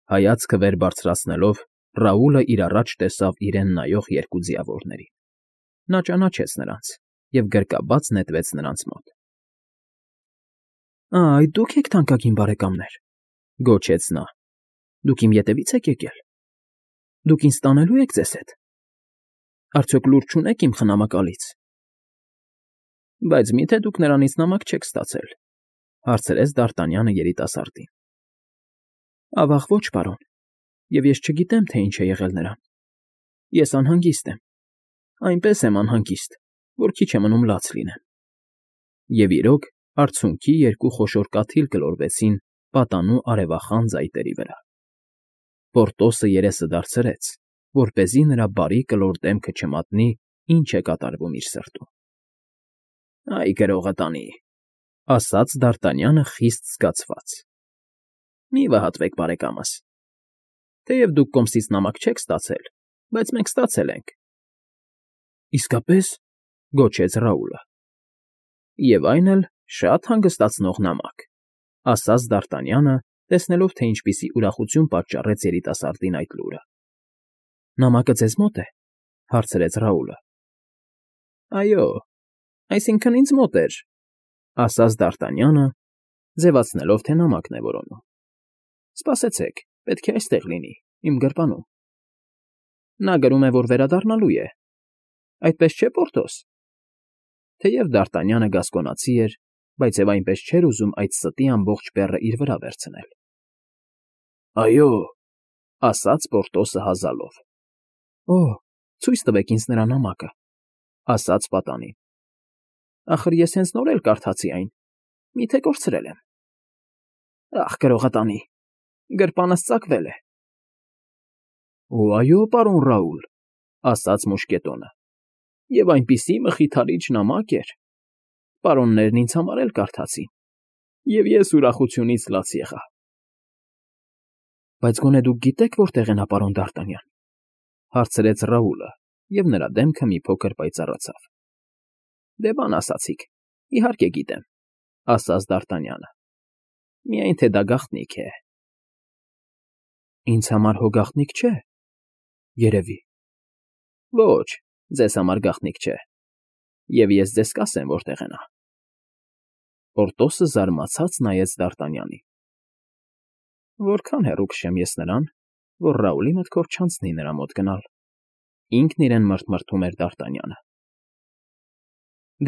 Հայացքը վեր բարձրացնելով, Ռաուլը իր առաջ տեսավ իրեն նայող երկու ձիավորներին։ Նա ճանաչեց նրանց և գրկաբաց նետվեց նրանց մոտ։ Այդ դուք եք թանկագին բարեկամներ,֊ գոչեց նա։ Դուք իմ ետևի՞ց եք եկել։ Դուք ինձ տանելո՞ւ եք ձեզ հետ։ Արդյոք լուր չունեք իմ խնամակալից։ Բայց մի՞թե դուք նրանից նամակ չեք ստացել,֊ հարցրեց Դ'Արտանյանը երիտասարդին։ Ավաղ ոչ, պարոն, և ես չգիտեմ, թե ինչ է եղել նրան։ Ես անհանգիստ եմ, այնպես եմ անհանգիստ, որ քիչ է մնում լաց լինեմ։ Եվ իրոք, արցունքի երկու խոշոր կաթիլ գլորվեցին պատանու արևախան ծայտերի վրա։ Պորտոսը երեսը դարձրեց, որպեսզի նրա բարի կլոր դեմքը չմատնի, ինչ է կատարվում իր սրտում։ Այ գրողը տանի,֊ ասաց Դ'Արտանյանը խիստ զգացված։ Մի վհատվեք, բարեկամս։ Թեև դուք կոմսից նամակ չեք ստացել, բայց մենք ստացել ենք։ Իսկապես,֊ գոչեց Ռաուլը։ Եվ այն էլ շատ հանգստացնող նամակ,֊ ասաց Դ'Արտանյանը, տեսնելով, թե ինչպիսի ուրախություն պատճառեց երիտասարդին այդ լուրը։ Նամակը ձեզ մոտ է,֊ հարցրեց Ռաուլը։ Այո, այսինքն ինձ մոտ էր,֊ ասաց Դ'Արտանյանը, ձևացնելով, թե նամակն է որոնում։ Սպասեցեք, պետք է այստեղ լինի, իմ գրպանում։ Նա գրում է, որ վերադառնալու է։ Այդպես չէ, Պորտոս։ Թեև Դ'Արտանյանը գասկոնացի էր, բայց և այնպես չէր ուզում այդ ստի ամբողջ բեռը իր վրա վերցնել։ Այո,֊ ասաց Պորտոսը հազալով։ Ցույց տվեք ինձ նրա նամակը,֊ ասաց պատանին։ Ախր ես հենց նոր էլ կարդացի այն, մի՞թե կորցրել եմ։ Ախ, գրողը տանի, գրպանս ծակվել է։ Այո, պարոն Ռաուլ,֊ ասաց մուշկետոնը, և այնպիսի մխիթարիչ նամակ էր։ Պարոններն ինձ համար էլ կարդացին, և ես ուրախությունից լաց եղա։ Բայց գոնե դուք գիտեք, որտեղ է նա, պարոն Դ'Արտանյան,֊ հարցրեց Ռաուլը, և նրա դեմքը մի փոքր պայծառացավ։ Դե բան ասացիք, իհարկե գիտեմ,֊ ասաց Դ'Արտանյանը։ Միայն թե դա գաղտնիք է։ Ինձ համար հո գաղտնիք չէ, երևի։ Ոչ, ձեզ համար գաղտնիք չէ, և ես ձեզ կասեմ, որտեղ է նա։ Պորտոսը զարմացած նայեց Դ'Արտանյանին։ Որքան հեռու քշեմ ես նրան, որ Ռաուլի մտքով չանցնի նրա մոտ գնալ,֊ ինքն իրեն մռթմռթում էր Դ'Արտանյանը։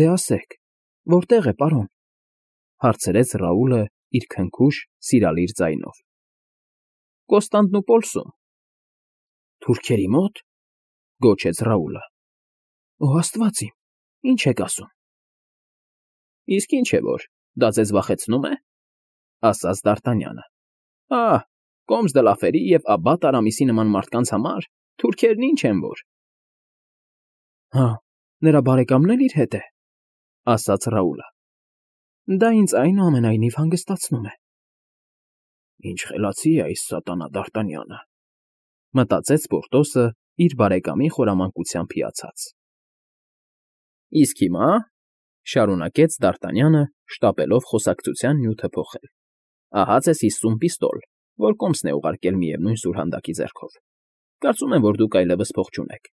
Դե ասեք, որտեղ է, պարոն,֊ հարցրեց Ռաուլը իր քնքուշ, սիրալիր ձայնով։ Կոստանդնուպոլսում։ Թուրքերի մո՞տ,֊ գոչեց Ռաուլը։ Աստված իմ, ինչ եք ասում։ Իսկ ինչ է որ, դա ձեզ վախեցնում է,֊ ասաց Դ'Արտանյանը։ Կոմս Դլաֆերի և Աբբատ Արամիսի նման մարդկանց համար թուրքերն ինչ են որ։ Նրա բարեկամն էլ իր հետ է,֊ ասաց Ռաուլը։ Դա ինձ այնուամենայնիվ հանգստացնում է։ Ինչ խելացի է այս սատանա Դ'Արտանյանը,֊ մտածեց Պորտոսը իր բարեկամի խորամանկությամբ հիացած։ Իսկ հիմա,֊ շարունակեց Դ'Արտանյանը, շտապելով խոսակցության նյութը փոխել,֊ ահա ձեզ 50 պիստոլ, որ կոմսն է ուղարկել միևնույն սուրհանդակի ձեռքով։ Կարծում եմ, որ դուք այլևս փող չունեք,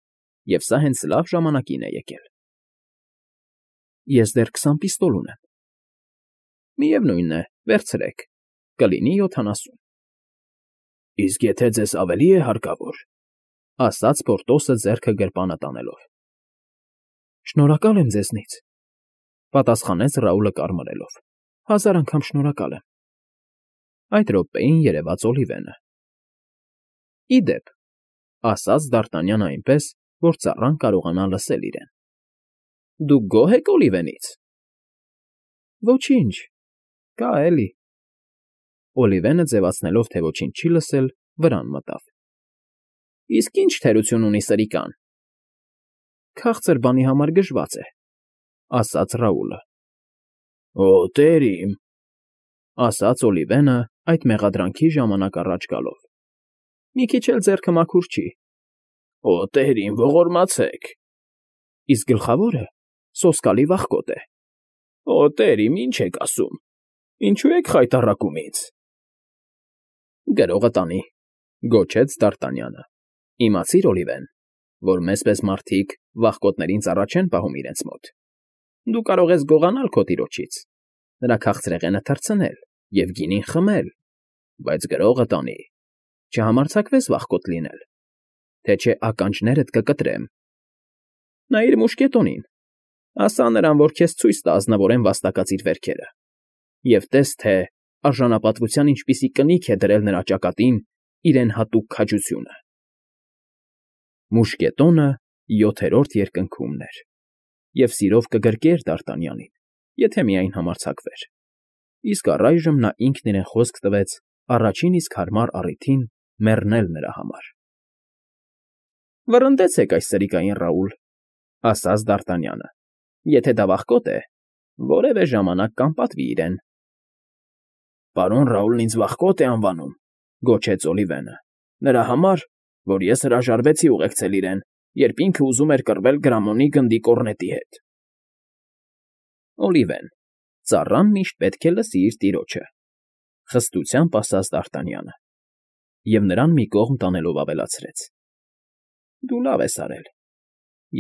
և սա հենց լավ ժամանակին է եկել։ Ես դեռ 20 պիստոլ ունեմ։ Միևնույն է, վերցրեք, կլինի 70։ Իսկ եթե ձեզ ավելի է հարկավոր,֊ ասաց Պորտոսը ձեռքը գրպանը տանելով։ Շնորհակալ եմ ձեզնից,֊ պատասխանեց Ռաուլը կարմրելով։ 1000 անգամ շնորհակալ եմ։ Այդ րոպեին երևաց Օլիվենը։ Ի դեպ,֊ ասաց Դ'Արտանյանը այնպես, որ ծառան կարողանա լսել իրեն։ Դուք գոհ եք Օլիվենից։ Ոչինչ, կա էլի։ Օլիվենը ձևացնելով, թե ոչինչ չի լսել, վրան մտավ։ Իսկ ինչ թերություն ունի սրիկան։ Քաղցր բանի համար գժված է,֊ ասաց Ռաուլը։ Տեր իմ,֊ ասաց Օլիվենը այդ մեղադրանքի ժամանակ առաջ գալով։ Մի քիչ էլ ձեռքը մաքուր չի։ Տեր իմ, ողորմացեք։ Իսկ գլխավորը սոսկալի վախկոտ է։ Տեր իմ, ինչ եք ասում։ Ինչու եք խայտառակում ինձ։ Գրողը տանի, Գոչեց Դ'Արտանյանը։ Իմացիր, Օլիվեն, որ մեզ պես մարդիկ վախկոտներին ծառա չեն պահում իրենց մոտ։ Դու կարող ես գողանալ քո տիրոջից, նրա քաղցրեղենը թռցնել և գինին խմել, բայց գրողը տանի, չհամարձակվես վախկոտ լինել, թե չէ ականջներդ կկտրեմ։ Նայիր մուշկետոնին, ասա նրան, որ քեզ ցույց տա ազնվորեն վաստակած իր վերքերը, և տես, թե արժանապատվության ինչպիսի կնիք է դրել նրա ճակատին իրեն հատուկ քաջությունը։ Մուշկետոնը 7-րդ երկնքումն էր, և սիրով կգրկեր Դ'Արտանյանին, եթե միայն համարձակվեր, իսկ առայժմ նա ինքն իրեն խոսք տվեց առաջին իսկ հարմար առիթին մեռնել նրա համար։ ֊ Վռնդեցեք այս սրիկային Ռաուլ,֊ ասաց Դ'Արտանյանը,֊ եթե դա վախկոտ է, որևէ ժամանակ կանպատվի իրեն։ ֊ Պարոն Ռաուլն ինձ վախկոտ է անվանում,֊ գոչեց Օլիվենը,֊ նրա համար, որ ես հրաժարվեցի ուղեկցել իրեն, երբ ինքը ուզում էր կռվել Գրամոնի գնդի կոռնետի հետ։ Օլիվեն, ծառան միշտ պետք է լսի իր տիրոջը,֊ խստությամբ ասաց Դ'Արտանյանը և նրան մի կողմ տանելով ավելացրեց. դու լավ ես արել,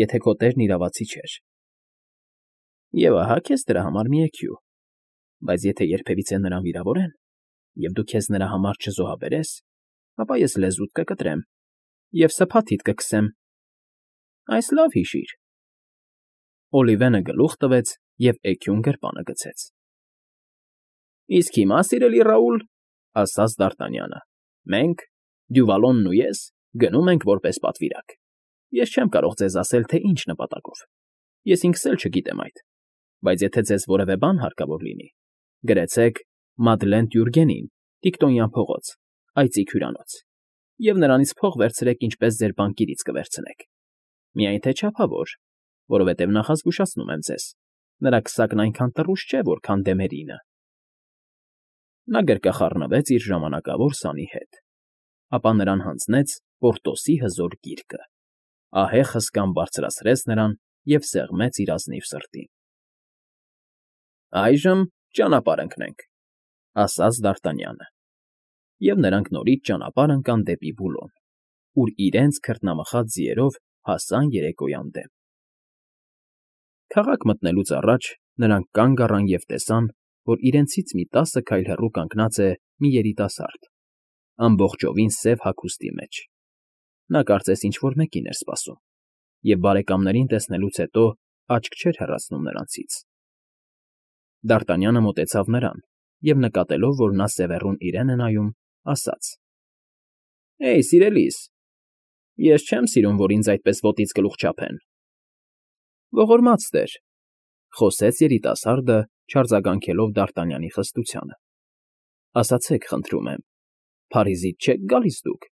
եթե քո տերն իրավացի չէր։ Եվ ահա քեզ դրա համար մի էքյու, բայց եթե երբևիցե նրան վիրավորեն, և դու քեզ նրա համար չզոհաբերես, ապա ես լեզուդ կկտրեմ և սփաթիդ կքսեմ։ Այս լավ հիշիր։ Օլիվենը գլուխ տվեց և էգյուն գրպանը գցեց։ ֊ Իսկ հիմա, սիրելի Ռաուլ,֊ ասաց Դ'Արտանյանը,֊ մենք, Դյուվալոնն ու ես, գնում ենք որպես պատվիրակ։ Ես չեմ կարող ձեզ ասել, թե ինչ նպատակով, ես ինքս էլ չգիտեմ այդ, բայց եթե ձեզ որևէ բան հարկավոր լինի, գրեցեք Մադլեն Տյուրգենին, Տիկտոնյան փողոց, այծիկ հյուրանոց, և նրանից փող վերցրեք, ինչպես ձեր բանկիրից կվերցնեք։ Միայն թե չափավոր, որովհետև նախազգուշացնում եմ ձեզ, նրա քսակն այնքան տռուս չէ, որքան Դեմերինը։ Նա գրկախառնվեց իր ժամանակավոր սանի հետ, ապա նրան հանձնեց Պորտոսի հզոր գիրկը, ահեղ հսկան բարձրացրեց նրան և սեղմեց իր ազնիվ սրտին։ ֊ Այժմ ճանապարհ ընկնենք,֊ ասաց Դ'Արտանյանը, և նրանք նորից ճանապարհ ընկան դեպի Բուլոն, ուր իրենց քրտնամխած ձիերով հասան երեկոյան դեմ։ Քաղաք մտնելուց առաջ նրանք կանգ առան և տեսան, որ իրենցից մի 10 քայլ հեռու կանգնած է մի երիտասարդ, ամբողջովին սև հագուստի մեջ։ Նա կարծես ինչ֊որ մեկին էր սպասում, և բարեկամներին տեսնելուց հետո աչք չէր հեռացնում նրանցից։ Դ'Արտանյանը մոտեցավ նրան և, նկատելով, որ նա սևեռուն իրեն է նայում, ասաց. «Հեյ, սիրելիս, ես չեմ սիրում, որ ինձ այդպես ոտից գլուխ չափեն»։ «Ողորմած տեր,֊ խոսեց երիտասարդը, չարձագանքելով Դ'Արտանյանի խստությանը,֊ ասացեք, խնդրում եմ, Փարիզից չե՞ք գալիս դուք»։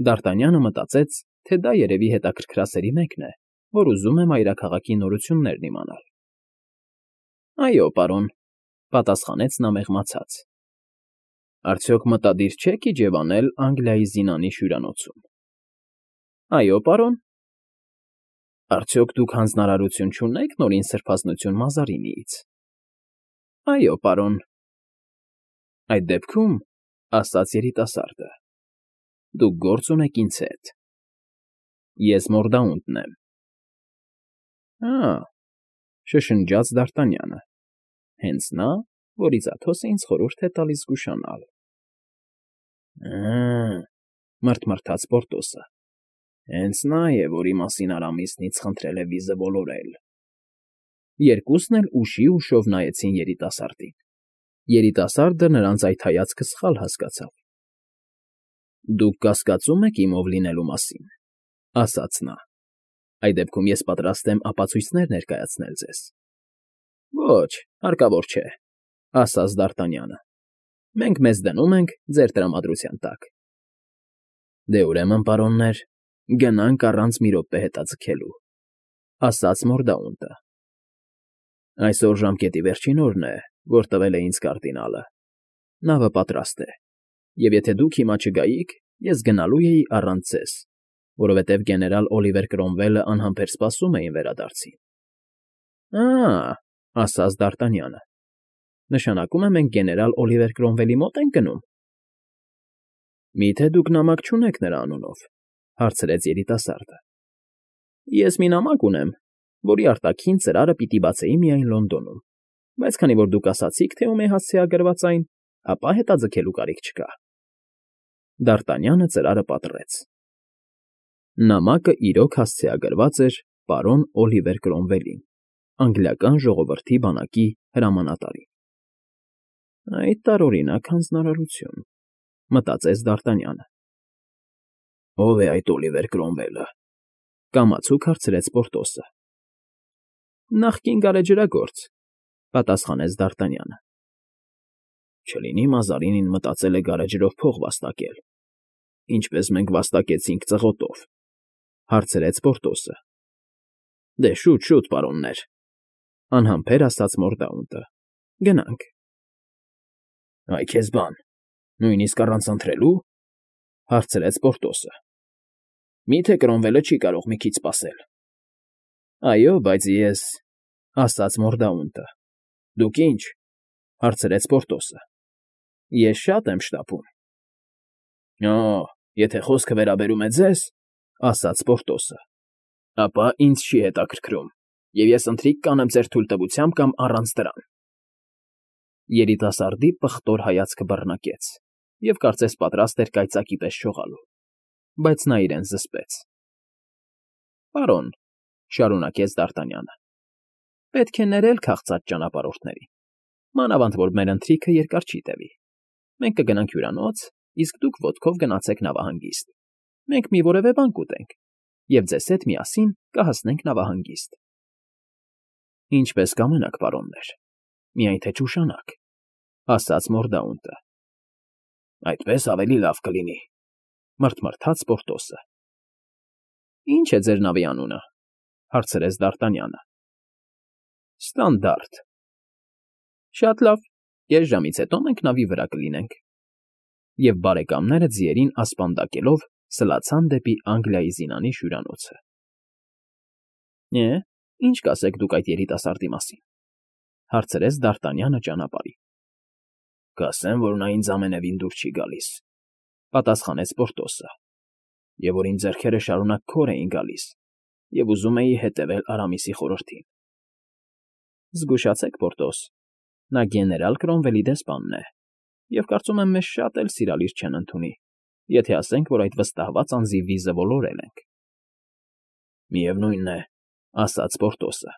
Դ'Արտանյանը մտածեց, թե դա երևի հետաքրքրասերի մեկն է, որ ուզում է մայրաքաղաքի նորություններն իմանալ։ ֊ Այո, պարոն,֊ պատասխանեց նա մեղմացած,֊ արդյոք մտադիր չեք իջևանել Անգլիայի Զինանի հյուրանոցում։ ֊ Այո, պարոն։ ֊ Արդյոք դուք հանձնարարություն չունե՞ք նորին սրբազնություն Մազարինիից։ ֊ Այո, պարոն։ ֊ Այդ դեպքում,֊ ասաց երիտասարդը,֊ դուք գործ ունեք ինձ հետ. ես Մորդաունտն եմ։ ֊ Հը՜,֊ շշնջաց Դ'Արտանյանը, հենց նա, որից Աթոսը ինձ խորհուրդ է տալիս զգուշանալ։ ֊ Հը՜,֊ մռթմռթաց Պորտոսը,֊ հենց նա է, որի մասին Արամիսն ինձ խնդրել է վիզը ոլորել։ Երկուսն էլ ուշի֊ուշով նայեցին երիտասարդին։ Երիտասարդը նրանց այդ հայացքը սխալ հասկացավ։ ֊ Դուք կասկածում եք իմ ով լինելու մասին,֊ ասաց նա,֊ այդ դեպքում ես պատրաստ եմ ապացույցներ ներկայացնել ձեզ։ ֊ Ոչ, հարկավոր չէ,֊ ասաց Դ'Արտանյանը,֊ մենք մեզ դնում ենք ձեր տրամադրության տակ։ ֊ Դե, ուրեմն, պարոններ, գնանք առանց մի րոպե հետաձգելու,֊ ասաց Մորդաունտը։ Այսօր ժամկետի վերջին օրն է, որ տվել է ինձ կարդինալը։ Նավը պատրաստ է, և եթե դուք հիմա չգայիք, ես գնալու էի առանց ձեզ, որովհետև գեներալ Օլիվեր Կրոմվելը անհամբեր սպասում է իմ վերադարձին։ ֊ Ա՜,֊ ասաց Դ'Արտանյանը,֊ նշանակում է մենք գեներալ Օլիվեր Կրոմվելի մոտ ենք գնում։ ֊ Մի՞թե դուք նամակ չունեք նրա անունով,֊ հարցրեց երիտասարդը։ Ես մի նամակ ունեմ, որի արտաքին ծրարը պիտի բացեի միայն Լոնդոնում, բայց քանի որ դուք ասացիք, թե ում է հասցեագրված այն, ապա հետաձգելու կարիք չկա։ Դ'Արտանյանը ծրարը պատռեց։ Նամակը իրոք հասցեագրված էր պարոն Օլիվեր Կրոմվելին, անգլիական ժողովրդի բանակի հրամանատարին։ Այդ տարօրինակ հանձնարարություն, մտածեց Դ'Արտանյանը։ Ո՞վ է այդ Օլիվեր Կրոմվելը,֊ կամացուկ հարցրեց Պորտոսը։ Նախկին գարեջրագործ,֊ պատասխանեց Դ'Արտանյանը։ Չլինի Մազարինին մտածել է գարեջրով փող վաստակել, ինչպես մենք վաստակեցինք ծղոտով,֊ հարցրեց Պորտոսը։ Դե շուտ, պարոններ,֊ անհամբեր ասաց Մորդաունտը։ Գնանք։ Այ քեզ բան, նույնիսկ առանց ընթրելու,֊ հարցրեց Պորտոսը։ Մի՞թե Կրոմվելը չի կարող մի քիչ սպասել։ Այո, բայց ես,֊ ասաց Մորդաունտը։ Դուք ի՞նչ,֊ հարցրեց Պորտոսը։ Ես շատ եմ շտապում։ Օ, եթե խոսքը վերաբերում է ձեզ,֊ ասաց Պորտոսը, ապա ինձ չի հետաքրքրում, և ես ընթրիք կանեմ ձեր թույլտվությամբ կամ առանց դրան։ Երիտասարդի պղտոր հայացքը բռնակեց և կարծես պատրաստ էր կայծակի պես շողալու, բայց նա իրեն զսպեց։ Պարոն,֊ շարունակեց Դ'Արտանյանը,֊ պետք է ներել քաղցած ճանապարհորդներին, մանավանդ որ մեր ընթրիքը երկար չի տևի։ Մենք կգնանք հյուրանոց, իսկ դուք ոտքով գնացեք նավահանգիստ։ Մենք մի որևէ բան կուտենք, և ձեզ հետ միասին կհասնենք նավահանգիստ։ Ինչպես կամենաք, պարոններ, միայն թե չուշանաք,֊ ասաց Մորդաունտը։ Այդպես ավելի լավ կլինի,֊ մռթմռթաց Պորտոսը։ Ի՞նչ է ձեր նավի անունը,֊ հարցրեց Դ'Արտանյանը։ Ստանդարտ։ Շատ լավ, կես ժամից հետո մենք նավի վրա կլինենք։ Եվ բարեկամները ձիերին ասպանդակելով սլացան դեպի Անգլիայի զինանի հյուրանոցը։ Ինչ կասեք դուք այդ երիտասարդի մասին,֊ հարցրեց Դ'Արտանյանը ճանապարհին։ Կասեմ, որ նա ինձ ամենևին դուր չի գալիս,֊ պատասխանեց Պորտոսը, և որ իմ ձեռքերը շարունակ քոր էին գալիս, և ուզում էի հետևել Արամիսի խորհրդին։ Զգուշացեք, Պորտոս, նա գեներալ Կրոմվելի դեսպանն է, և կարծում եմ մեզ շատ էլ սիրալիր չեն ընդունի, եթե ասենք, որ այդ վստահված անձի վիզը ոլորել ենք։ Միևնույն է,֊ ասաց Պորտոսը,֊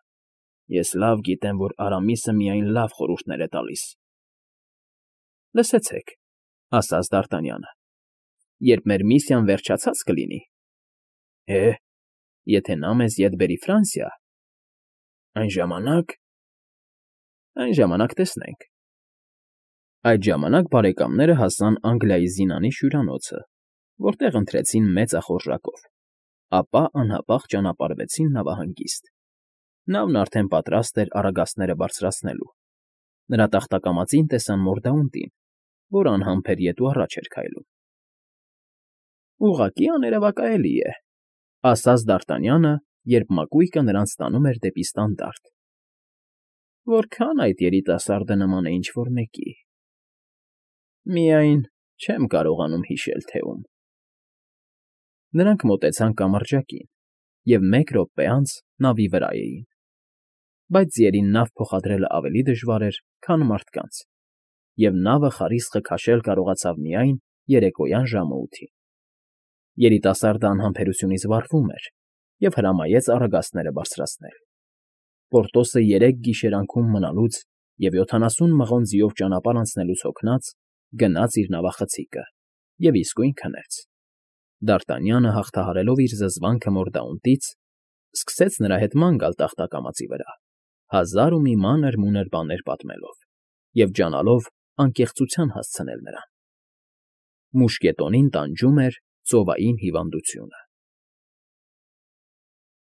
ես լավ գիտեմ, որ Արամիսը միայն լավ խորհուրդներ է տալիս։ Լսեցեք,֊ ասաց Դ'Արտանյանը,֊ երբ մեր միսիան վերջացած կլինի, եթե նա մեզ ետ բերի Ֆրանսիա, այն ժամանակ տեսնենք։ Այդ ժամանակ բարեկամները հասան Անգլիայի զինանի հյուրանոցը, որտեղ ընթրեցին մեծախորժակով, ապա անհապաղ ճանապարհվեցին նավահանգիստ։ Նավն արդեն պատրաստ էր առագաստները բարձրացնելու։ Նրա տախտակամածին տեսան Մորդաունտին, որ անհամբեր ետ ու առաջ էր քայլում։ Ուղղակի աներևակայելի է,֊ ասաց Դ'Արտանյանը, երբ մակույկը նրանց տանում էր դեպի Ստանդարտ։ Որքան այդ երիտասարդը նման է ինչ֊որ մեկի։ Միայն չեմ կարողանում հիշել, թե ում։ Նրանք մոտեցան կամրջակին և մեկ րոպե անց նավի վրա էին։ Բայց ձիերին նավ փոխադրելը ավելի դժվար էր, քան մարդկանց, և նավը խարիսխը քաշել կարողացավ միայն երեկոյան ժամը 8-ին։ Երիտասարդը անհամբերությունից վառվում էր և հրամայեց առագաստները բարձրացնել։ Պորտոսը 3 գիշերանքում մնալուց և 70 մղոն ձիով ճանապարհ անցնելուց հոգնած՝ գնաց իր նավախցիկը և իսկույն քնեց։ Դ'Արտանյանը, հաղթահարելով իր զզվանքը Մորդաունտից, սկսեց նրա հետ ման գալ տախտակամածի վրա, հազար ու մի մանր֊մունր բաներ պատմելով և ջանալով անկեղծության հասցնել նրան։ Մուշկետոնին տանջում էր ծովային հիվանդությունը։